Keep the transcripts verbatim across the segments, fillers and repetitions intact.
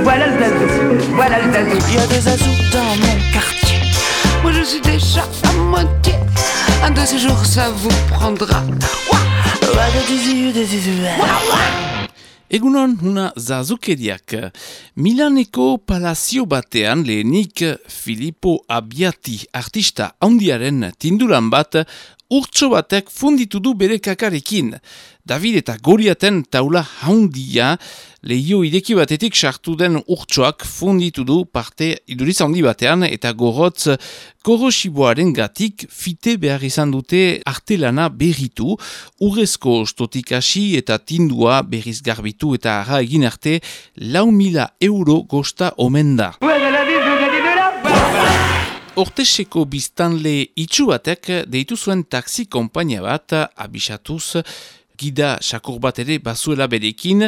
voilà le zazou, voilà le zazou. Il y a des zazous dans mon quartier. Moi je suis déjà à moitié. Un de ces jours ça vous prendra. Egunon, una zazukeriak. Milaneko palazio batean lehenik Filippo Abbiati artista handiaren tinduran bat urtso batek funditu du bere kakarekin. David eta Goriaten taula handia lehio ireki batetik sartu den urtsoak funditu du parte iduriz handi batean eta gorotz korosiboaren gatik fite behar izan dute artelana berritu, urrezko ostotik hasi eta tindua berriz garbitu eta ara egin arte lau mila euro gosta omen da. Orteseko biztanle itxu batek deitu zuen taxi konpainia bat abisatuz gida sakur bat ere bazuela berekin,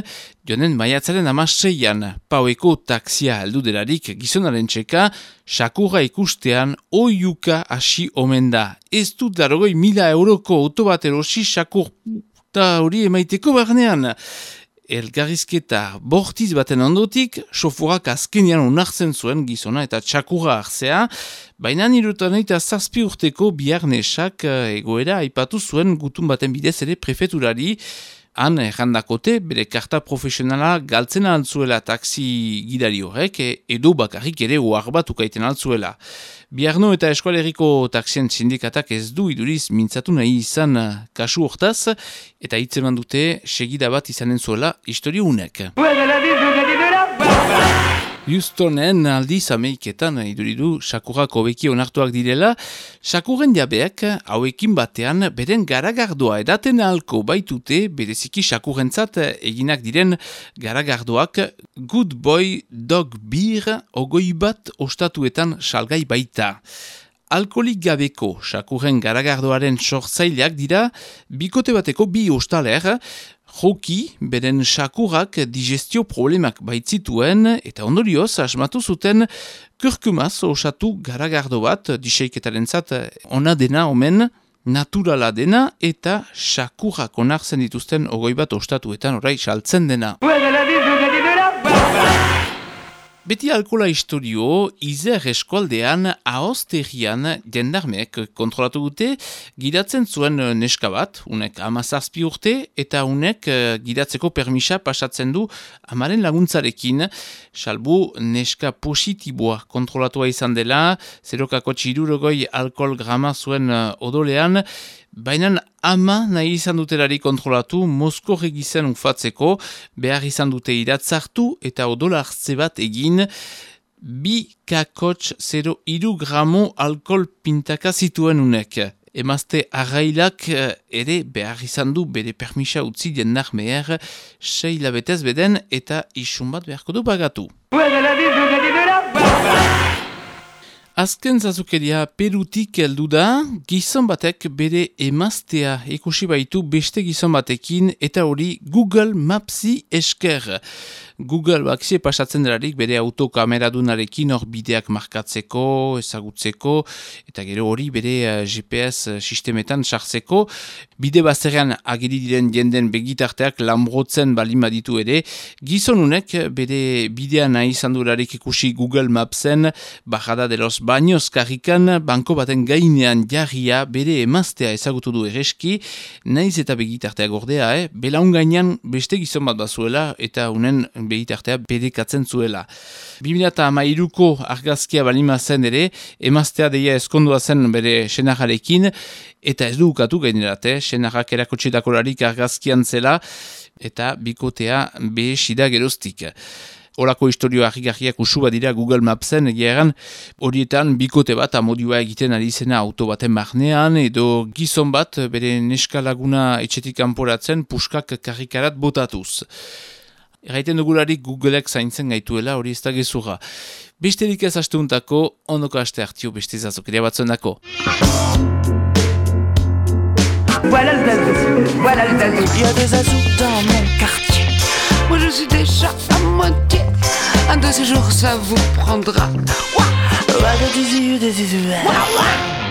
joanen maiatzaren amaseian, paueko taxia heldu delarik gizonaren txeka, sakurra ikustean oiuka hasi omen da. Ez dut darogoi mila euroko auto bat erosi sakur eta hori emaiteko barnean. Elgarrizketa bortiz baten ondotik, soforak azkenean onartzen zuen gizona eta txakurra hartzea, baina nirutan eta zazpi urteko biarnesak egoera aipatu zuen gutun baten bidez ere prefeturari, han errandakote bere karta profesionala galtzen altzuela taksi gidari horrek, edo bakarrik ere ohar bat ukaiten altzuela. Biarno eta eskualeriko taksien sindikatak ez du iduriz mintzatu nahi izan kasu hortaz, eta hitzeman dute segida bat izanen zuela historio unek. Houstonen aldiz Ameriketan iduridu sakurrak hobeki onartuak direla, sakurren jabeak hauekin batean beren garagardoa edaten ahalko baitute bereziki sakurrentzat eginak diren garagardoak Good Boy Dog Beer ogoi bat ostatuetan salgai baita. Alkolik gabeko sakurren garagardoaren sortzaileak dira bikote bateko bi ostaler, joki, beren sakurrak digestio problemak baitzituen eta ondorioz asmatu zuten kurkumaz osatu garagardo bat diseiketarentzat ona dena omen, naturala dena eta sakurrak onartzen dituzten ogoi bat ostatuetan orai saltzen dena. Beti alkola historio, Izer eskualdean ahozterian jendarmeek kontrolatu dute, gidatzen zuen neska bat, unek amazazpi urte, eta unek gidatzeko permisa pasatzen du amaren laguntzarekin, salbu neska positiboa kontrolatua izan dela, zerokako txirurogoi alkohol grama zuen odolean, baina ama nahi izan dutelari kontrolatu Mosko regizen ufatzeko, behar izan dute iratzartu eta odola hartze bat egin, bi kakotx zero iru gramo alkohol pintaka zituen unek. Emazte arrailak ere behar izan du bere permisa utzi jendak meher, sei labetez beden eta isun bat beharko du bagatu. Azken zazukeria Perutik heldu da, gizon batek bere emaztea ikusi baitu beste gizon batekin eta hori Google Mapsi esker. Google bakzie pasatzen delarik bere autokameradunarekin hor bideak markatzeko, ezagutzeko, eta gero hori bere G P S sistemetan sartzeko. Bide bazterrean agiri diren jenden begitarteak lambrotzen balin baditu ere, gizonunek bere bidea nahi izan dularik ikusi Google Mapsen, Bajada de los Baños karrikan, banko baten gainean jarria bere emaztea ezagutu du ereski, naiz eta begitartea gordea, eh? Belaun gainean beste gizon bat bazuela, eta unen begitartea bedekatzen zuela. bi mila hamairuko argazkia balima zen ere, emaztea deia eskondua zen bere senarrarekin, eta ez du ukatu gainerate, senarrak erakotxetakolarik argazkian zela, eta bikotea behesida geroztik. Horako historio harrigarriak usu badira Google Mapsen, egeran horietan bikote bat amodioa egiten ari zena auto baten barnean, edo gizon bat bere neska laguna etxetik kanporatzen puskak karrikarat botatuz. Erraiten dugularik Googleek zaintzen gaituela, hori ez da gezurra. Besterik ez asteuntako, ondoko aste hartio beste zazokeria batzuen dako. Voilà le zazou, voilà le zazou. Il y a des zazous dans mon quartier. Moi je suis déjà à moitié. Un de ces jours ça vous prendra. Ouah, ouah, des yeux, des yeux. Ouah, ouah.